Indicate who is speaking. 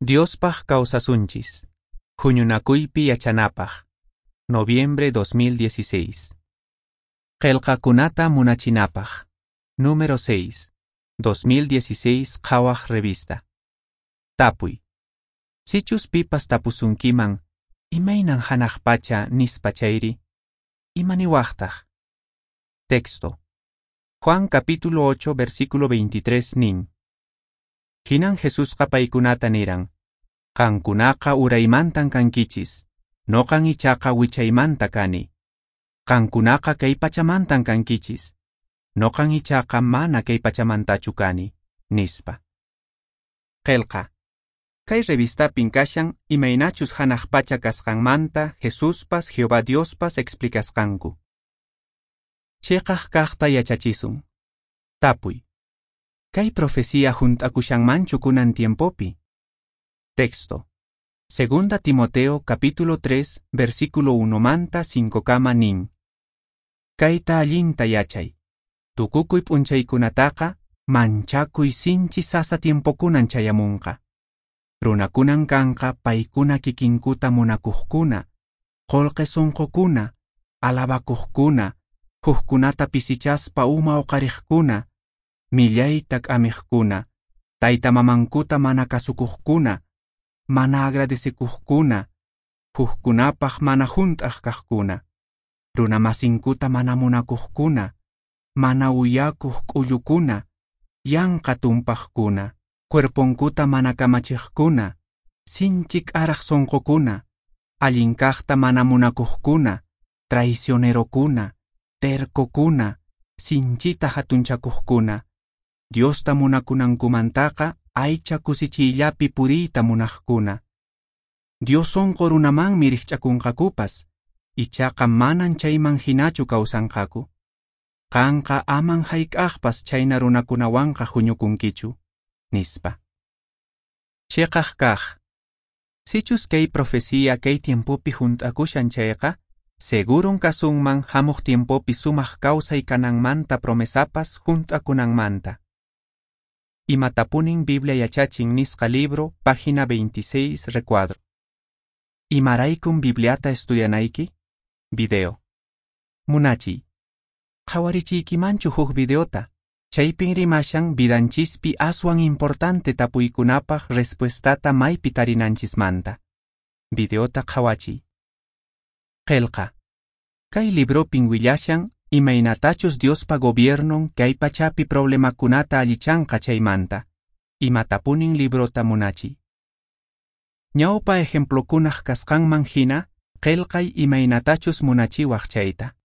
Speaker 1: Diospaq kawsasunchis. Huñunakuypi yachanapaq. Noviembre 2016. Qelqakunata munachinapaq. Número 6. 2016 Qhawaq revista. Tapuy. Sichus pipas tapusunkiman, imaynan hanaq pacha nispa chayri, imaniwaqtaq? Texto. Juan capítulo 8 versículo 23 nin. Hinan Jesusqa paykunata niran, Qankunaqa uraymantan kankichis, noqan ichaqa wichaymanta kani. Qankunaqa kay pachamantan kankichis, noqan ichaqa mana kay pachamantachu kani, nispa. Qelqa. Kay revistapin kashan imaynachus hanaq pacha kasqanmanta Jesuspas Jehová Diospas explicasqanku. Chiqaq kaqta yachachisun. Tapuy. Kay profecía hunt'akushanmanchu kunan tiempopi? Texto. Segunda Timoteo capítulo 3 versículo 1 manta 5 kama nin. Kayta allinta yachay. Tukukuy p'unchaykunataqa manchakuy sinchi sasa tiempokunan chayamunqa. Runakunan kanqa paykuna kikinkuta munakuqkuna, qullqi sunqukuna, alabakuqkuna, hukkunata pisichaspa uma uqariqkuna, millayta k'amiqkuna, tayta mamankuta mana kasukuqkuna, mana agradecekuqkuna, hukkunapaq mana hunt'aq kaqkuna, runamasinkuta mana munakuqkuna, mana uyakuq k'ullukuna, yanqa tumpaqkuna, cuerponkuta mana kamachiqkuna, sinchi k'araq sunqukuna, allin kaqta mana munakuqkuna, traicionerokuna, tercokuna, sinchita hatunchakuqkuna, Diosta munakunankumantaqa aycha kusichiyllapi puriyta munaqkuna. Dios sunqu runamanmi rikch'akunqakupas, ichaqa manan chayman hinachu kawsanqaku. Qanqa aman hayk'aqpas chhayna runakunawanqa huñukunkichu, nispa. Chiqaq kaq. Sichus kay profecía kay tiempopi hunt'akushan chayqa, seguron kasunman hamuq tiempopi sumaq kawsay kananmanta promesapas hunt'akunanmanta. Imatapunin Biblia yachachin nisqa libro, página 26, recuadro. Imaraykun Bibliata estudianayki? Video. Munachiy. Qhawarichiykimanchu huk videota, chaypin rimashan vidanchispi aswan importante tapuykunapaq respuestata maypi tarinanchismanta. Videota qhawachiy. Qelqa. Kay libropin willashan imaynatachus Diospa gobiernon kay pachapi problemakunata allichanqa chaymanta. Imatapunin librota munachiy. Ñawpa ejemplokunaq kasqanman hina, qelqay imaynatachus munachiwaq chayta.